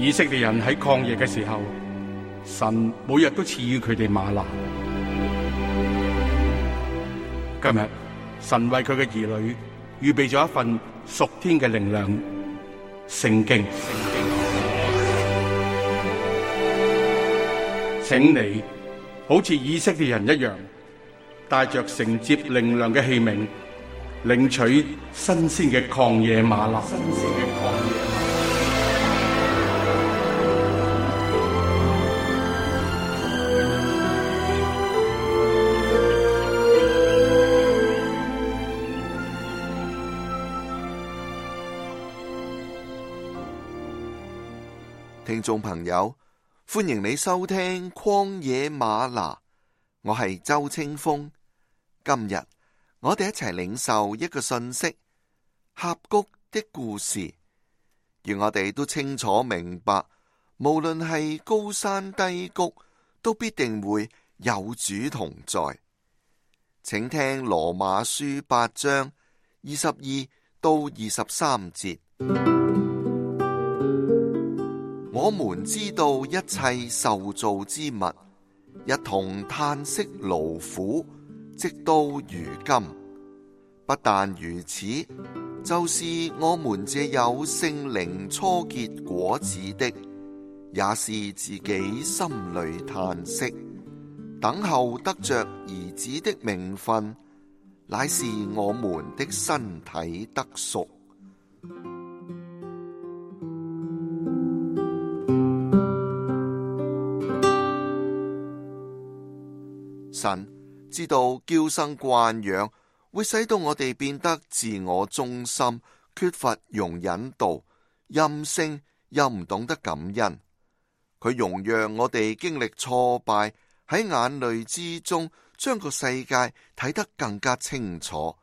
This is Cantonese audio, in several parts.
以色列人喺曠野嘅時候，神每日都賜予佢哋嗎哪。今日神為佢嘅兒女預備咗一份屬天嘅靈糧——聖經。請你好似以色列人一樣，帶着承接靈糧嘅器皿，領取新鮮嘅曠野嗎哪。聽眾朋友，歡迎你收聽曠野嗎哪，我係周清風。今日我哋一齊領受一個信息：峽谷的故事。願我哋都清楚明白，無論係高山低谷，都必定會有主同在。請聽羅馬書8章22到23節。我們知道一切受造之物一同嘆息勞苦，直到如今。不但如此，就是我們這有聖靈初結果子的，也是自己心裏嘆息，等候得着兒子的名分，乃是我們的身體得贖。神知道嬌生慣養會使到我哋變得自我中心，缺乏容忍度，任性又唔懂得感恩。佢容讓我哋經歷挫敗，喺眼淚之中將個世界睇得更加清楚，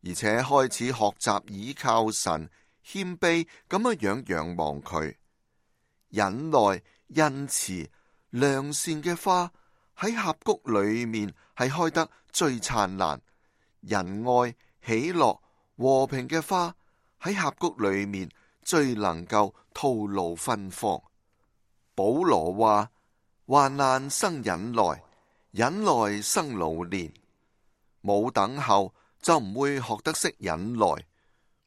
而且開始學習倚靠神，謙卑咁樣仰望佢。忍耐、恩慈、良善嘅花喺峽谷裏面係開得最燦爛，仁愛、喜樂、和平嘅花喺峽谷裏面最能夠吐露芬芳。保羅話：患難生忍耐，忍耐生老練。冇等候就唔會學得識忍耐，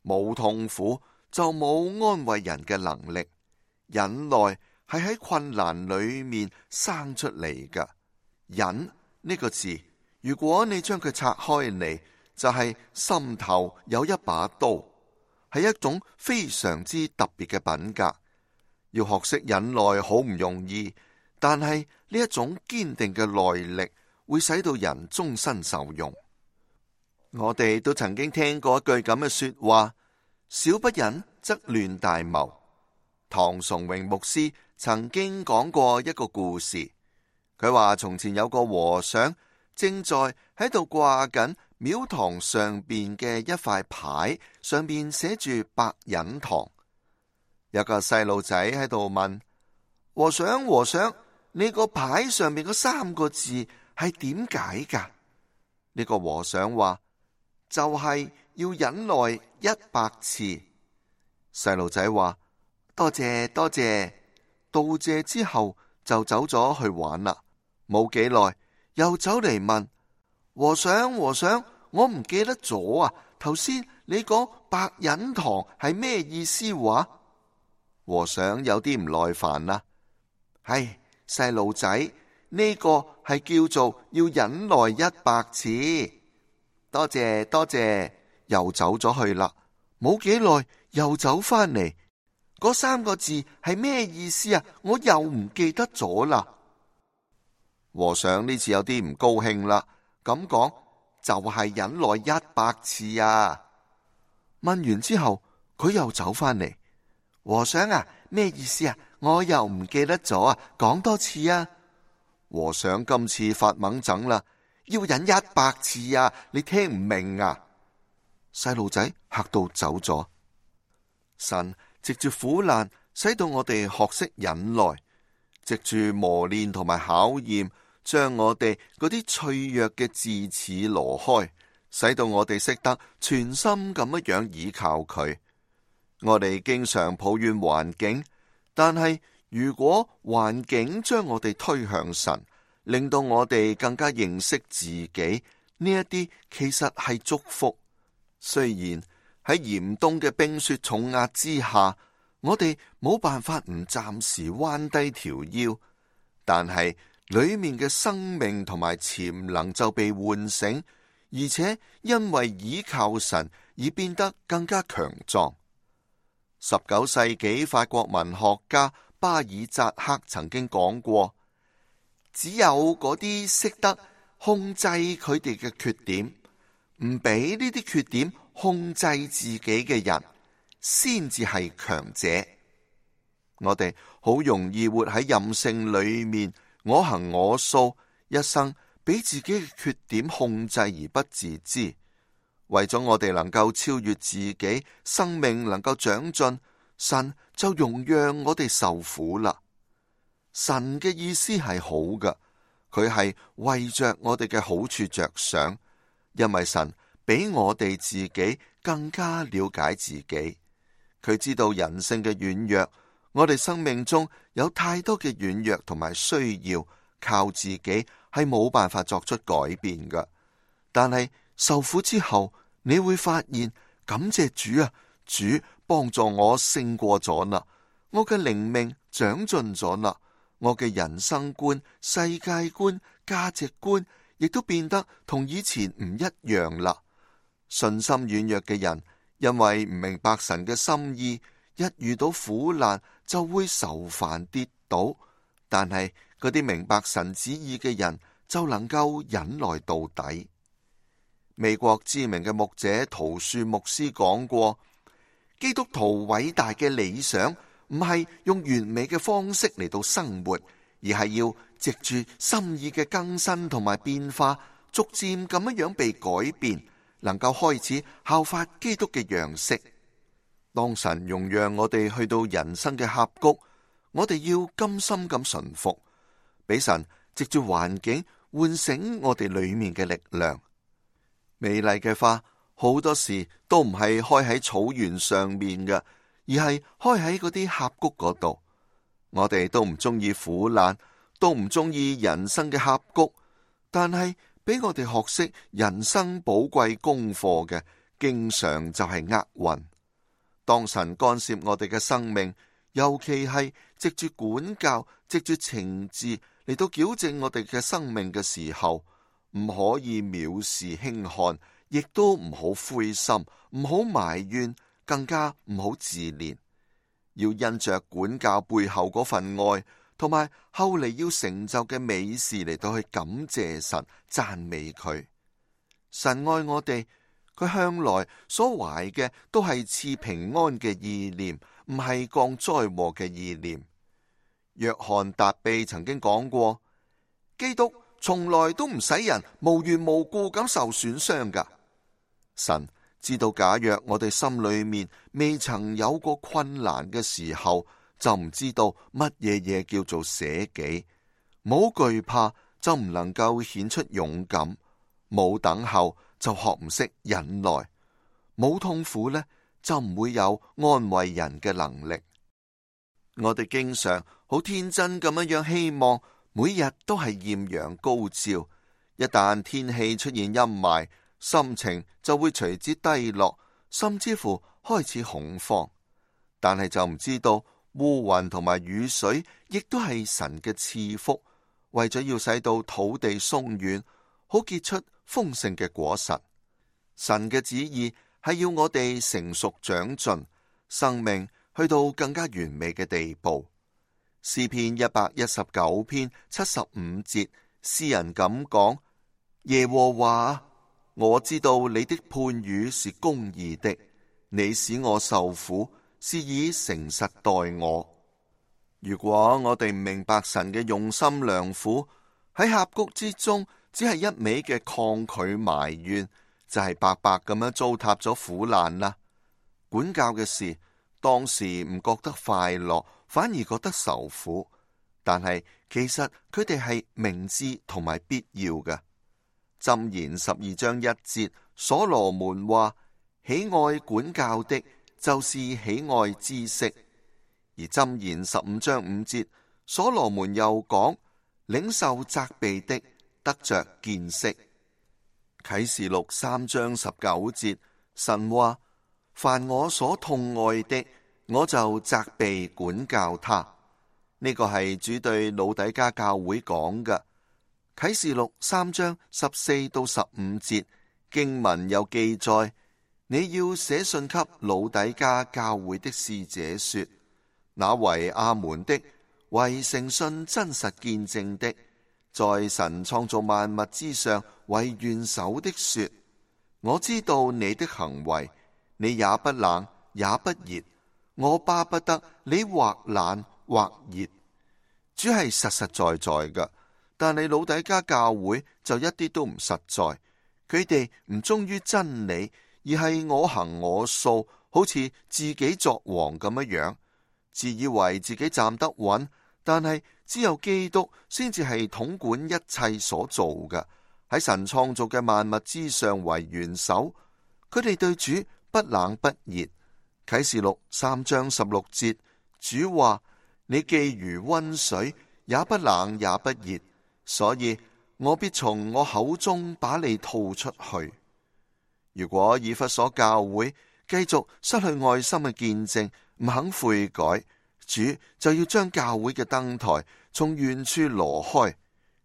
冇痛苦就冇安慰人嘅能力。忍耐係喺困難裏面生出嚟㗎。忍呢個字，如果你將佢拆開嚟，就係心頭有一把刀，係一種非常之特別嘅品格。要學識忍耐好唔容易，但係呢一種堅定嘅耐力會使到人終身受用。我哋都曾經聽過一句咁嘅說話：小不忍則亂大謀。唐崇榮牧師曾經講過一個故事。佢話從前有個和尚正在喺度掛緊廟堂上邊嘅一塊牌，上邊寫住百忍堂。有個細路仔喺度問和尚：和尚，你個牌上面嗰3個字係點解噶？呢個和尚話：就係要忍耐100次。細路仔話：多謝多謝。道謝之後就走咗去玩啦。冇幾耐，又走嚟問和尚：和尚，我唔記得咗啊！頭先你講百忍堂係咩意思話？和尚有啲唔耐煩啦。唉，細路仔，呢個係叫做要忍耐100次。多謝多謝，又走咗去啦。冇幾耐，又走翻嚟，嗰3個字係咩意思啊？我又唔記得咗啦。和尚呢次有啲唔高興啦，咁講就係忍耐100次啊。問完之後，佢又走翻嚟。和尚啊，咩意思啊？我又唔記得咗啊，講多次啊。和尚今次發猛整啦，要忍100次啊，你聽唔明啊？細路仔嚇到走咗。神藉住苦難，使到我哋學識忍耐，藉住磨練同埋考驗，將我哋嗰啲脆弱嘅智齒挪開，使到我哋識得全心咁樣倚靠佢。我哋經常抱怨環境，但係如果環境將我哋推向神，令到我哋更加認識自己，呢一啲其實係祝福。雖然喺嚴冬嘅冰雪重壓之下，我哋冇辦法唔暫時彎低條腰，但係裏面嘅生命同埋潛能就被喚醒，而且因為倚靠神而變得更加強壯。19世紀法國文學家巴爾扎克曾經講過，只有嗰啲識得控制佢哋嘅缺點，唔俾呢啲缺點控制自己嘅人，先至係強者。我哋好容易活喺任性裏面，我行我素，一生俾自己嘅缺點控制而不自知。為咗我哋能夠超越自己，生命能夠長進，神就容讓我哋受苦啦。神嘅意思係好嘅，佢係為着我哋嘅好處着想，因為神比我哋自己更加了解自己，佢知道人性嘅軟弱，我哋生命中有太多嘅軟弱同埋需要，靠自己係冇辦法作出改變嘅。但係受苦之後，你會發現，感謝主啊，主幫助我勝過咗啦，我嘅靈命長進咗啦，我嘅人生觀、世界觀、價值觀亦都變得同以前唔一樣啦。信心軟弱嘅人，因為唔明白神嘅心意，一遇到苦難就會愁煩跌倒，但係嗰啲明白神旨意嘅人就能夠忍耐到底。美國知名嘅牧者陶樹牧師講過，基督徒偉大嘅理想唔係用完美嘅方式嚟到生活，而係要藉住心意嘅更新同埋變化，逐漸咁樣被改變，能夠開始效法基督嘅樣式。當神容讓我哋去到人生嘅峽谷，我哋要甘心咁順服，俾神藉住環境喚醒我哋裏面嘅力量。美麗嘅花好多時都唔係開喺草原上面嘅，而係開喺嗰啲峽谷嗰度。我哋都唔中意苦難，都唔中意人生嘅峽谷，但係俾我哋學識人生寶貴功課嘅，經常就係厄運。當神干涉我哋嘅生命，尤其係藉住管教、藉住懲治嚟到矯正我哋嘅生命嘅時候，唔可以藐視輕看，亦都唔好灰心，唔好埋怨，更加唔好自憐。要因着管教背後嗰份愛，同埋後嚟要成就嘅美事嚟到去感謝神、讚美佢。神愛我哋，佢向來所懷嘅都係賜平安嘅意念，唔係降災禍嘅意念。約翰達庇曾經講過，基督從來都唔使人無緣無故咁受損傷噶。神知道，假若我哋心裏面未曾有過困難嘅時候，就唔知道乜嘢叫做捨己。冇懼怕就唔能夠顯出勇敢，冇等候就學唔識忍耐，冇痛苦呢，就唔會有安慰人嘅能力。我哋經常好天真咁樣希望每日都係豔陽高照，一旦天氣出現陰霾，心情就會隨之低落，甚至乎開始恐慌。但係就唔知道烏雲同埋雨水亦都係神嘅賜福，為咗要使到土地鬆軟，好結出豐盛嘅果實。神嘅旨意係要我哋成熟長進，生命去到更加完美嘅地步。詩篇119篇75節，詩人咁講：耶和華，我知道你的判語是公義的，你使我受苦，是以誠實待我。如果我哋唔明白神嘅用心良苦，喺峽谷之中只係一味嘅抗拒埋怨，就係白白咁樣糟蹋咗苦難啦。管教嘅事，當時唔覺得快樂，反而覺得受苦，但係其實佢哋係明智同埋必要嘅。箴言12章1節，所羅門話：喜愛管教的，就是喜愛知識；而箴言15章5節，所羅門又講：領受責備的，得着見識。啟示錄3章19節，神話：凡我所痛愛的，我就責備管教他。呢個係主對老底嘉教會講嘅。啟示錄3章14到15節經文有記載：你要寫信給老底嘉教會的使者說，那為阿門的，為誠信真實見證的，在神創造萬物之上為元首的說，我知道你的行為，你也不冷也不熱，我巴不得你或冷或熱。主係實實在在嘅，但係老底嘉教會就一啲都唔實在。佢哋唔忠於真理，而係我行我素，好似自己作王咁樣，自以為自己站得穩。但係只有基督先至係統管一切所做嘅，喺神創造嘅萬物之上為元首。佢哋對主不冷不熱。啟示錄3章16節，主話：你既如溫水，也不冷也不熱，所以我必從我口中把你吐出去。如果以弗所教會繼續失去愛心嘅見證，唔肯悔改，主就要將教會嘅燈台從遠處挪開。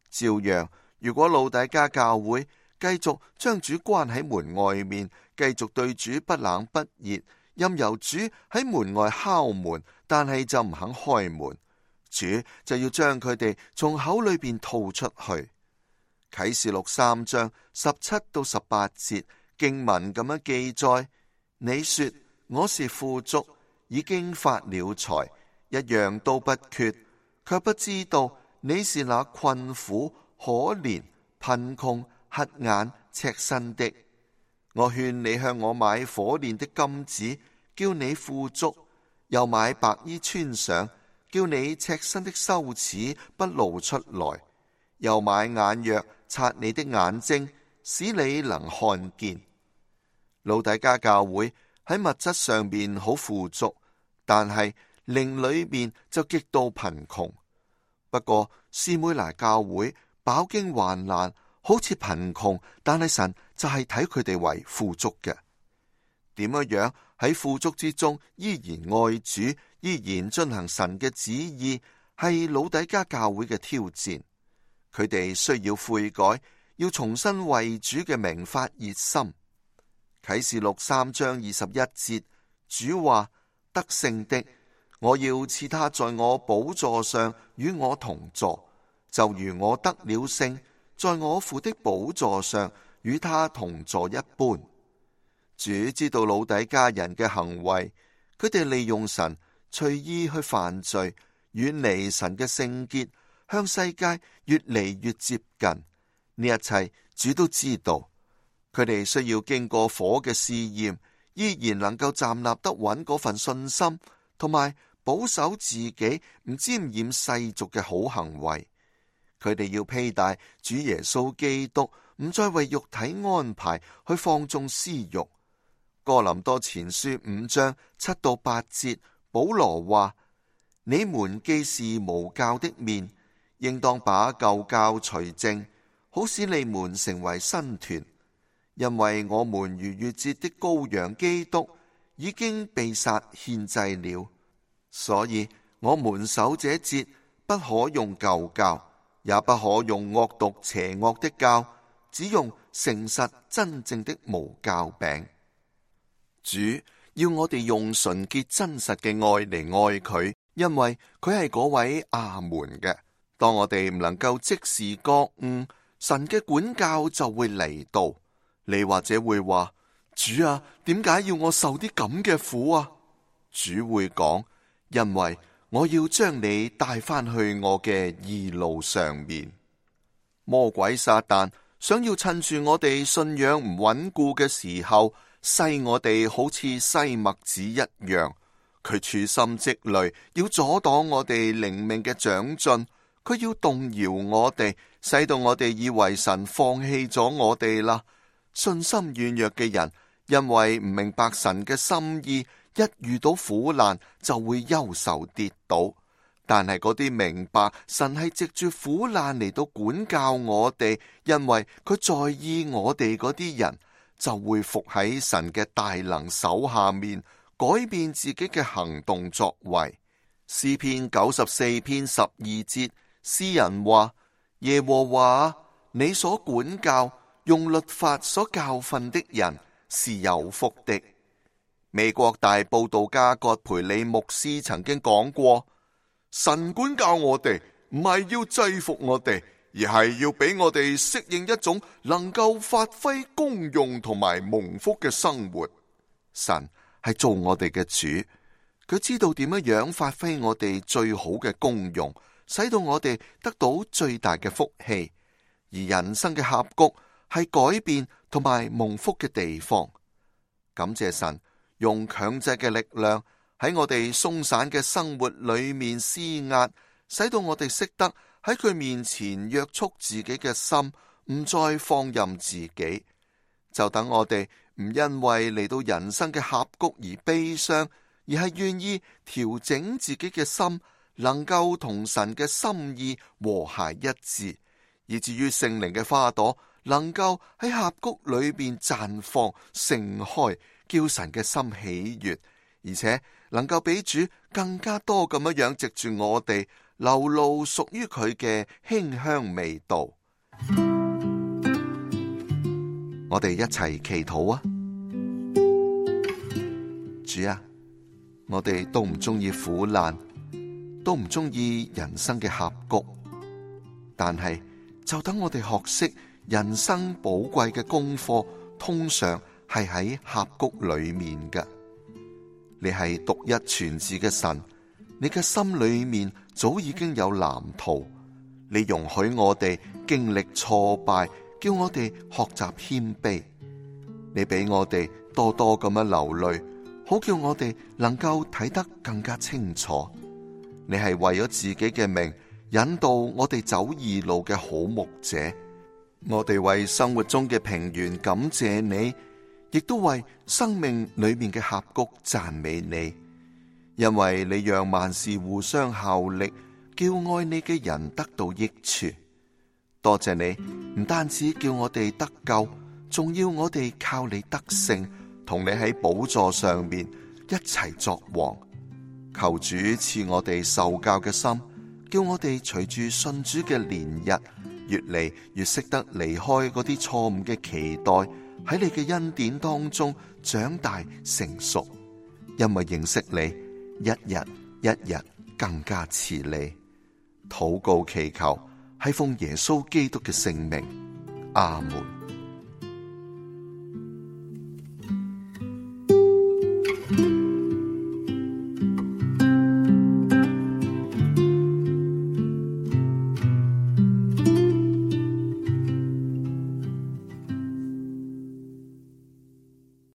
照樣，如果老底嘉教會繼續將主關喺門外面，繼續對主不冷不熱，任由主喺門外敲門，但係就唔肯開門，主就要將佢哋從口裏邊吐出去。啟示錄3章17到18節經文咁樣記載：你說我是富足，已經發了財，一樣都不缺，卻不知道你是那困苦、可憐、貧窮、瞎眼、赤身的。我勸你向我買火煉的金子，叫你富足；又買白衣穿上，叫你赤身的羞恥不露出來；又買眼藥擦你的眼睛，使你能看見。老底嘉教會喺物質上面好富足，但係靈裏面就極度貧窮。不過士每拿教會飽經患難，好似貧窮，但係神就係睇佢哋為富足嘅。點樣喺富足之中依然愛主，依然進行神嘅旨意，係老底嘉教會嘅挑戰。佢哋需要悔改，要重新為主嘅名發熱心。啟示錄3章21節，主話：得勝的，我要賜他在我寶座上與我同坐，就如我得了勝，在我父的寶座上與他同坐一般。主知道老底嘉人嘅行為，佢哋利用神隨意去犯罪，遠離神嘅聖潔，向世界越嚟越接近。呢一切主都知道。佢哋需要經過火嘅試驗，依然能夠站立得穩嗰份信心，同埋保守自己唔沾染世俗嘅好行為。佢哋要披戴主耶穌基督，唔再為肉體安排去放縱私欲。哥林多前書5章7到8節，保羅話：你們既是無酵的麵，應當把舊酵除淨，好使你們成為新團。因為我們逾越節的羔羊基督已經被殺獻祭了，所以我們守這節不可用舊酵，也不可用惡毒邪惡的酵，只用誠實真正的無酵餅。主要我哋用純潔真實嘅愛嚟愛佢，因為佢係嗰位阿門嘅。當我哋唔能夠即時覺悟，神嘅管教就會嚟到。你或者會話：主啊，點解要我受啲咁嘅苦啊？主會講：因為我要將你帶翻去我嘅義路上面。魔鬼撒旦想要趁住我哋信仰唔穩固嘅時候，篩我哋好似篩麥子一樣。佢處心積慮要阻擋我哋靈命嘅長進，佢要動搖我哋，使到我哋以為神放棄咗我哋啦。信心軟弱嘅人，因為唔明白神嘅心意，一遇到苦難就會憂愁跌倒。但係嗰啲明白神係藉住苦難嚟到管教我哋，因為佢在意我哋嗰啲人，就會伏喺神嘅大能手下面，改變自己嘅行動作為。詩篇94篇12節，詩人話：耶和華，你所管教、用律法所教訓的人是有福的。美國大佈道家葛培理牧師曾經講過，神管教我哋唔係要制服我哋，而係要俾我哋適應一種能夠發揮功用同埋蒙福嘅生活。神係做我哋嘅主，佢知道點樣發揮我哋最好嘅功用，使到我哋得到最大嘅福氣。而人生嘅峽谷係改變同埋蒙福嘅地方。感謝神用強制嘅力量喺我哋鬆散嘅生活裏面施壓，使到我哋識得喺佢面前約束自己嘅心，唔再放任自己。就等我哋唔因為嚟到人生嘅峽谷而悲傷，而係願意調整自己嘅心，能夠同神嘅心意和諧一致，以至於聖靈嘅花朵能夠喺峽谷裏邊綻放盛開，叫神嘅心喜悅，而且能夠比主更加多咁樣藉住我哋流露屬於佢嘅馨香味道。我哋一齊祈禱啊！主啊，我哋都唔中意苦難，都唔中意人生嘅峽谷，但係就等我哋學識人生寶貴嘅功課，通常係喺峽谷裏面嘅。你係獨一全智嘅神，你嘅心裏面早已經有藍圖。你容許我哋經歷挫敗，叫我哋學習謙卑。你俾我哋多多咁樣流淚，好叫我哋能夠睇得更加清楚。你係為咗自己嘅名引導我哋走義路嘅好牧者。我哋為生活中嘅平原感謝你，亦都為生命裏面嘅峽谷讚美你，因為你讓萬事互相效力，叫愛你嘅人得到益處。多謝你，唔單止叫我哋得救，仲要我哋靠你得勝，同你喺寶座上面一齊作王。求主賜我哋受教嘅心，叫我哋隨住信主嘅年日，越嚟越識得離開嗰啲錯誤嘅期待，喺你嘅恩典當中長大成熟。因為認識你，一日一日更加似你。禱告祈求係奉耶穌基督嘅聖名，阿門。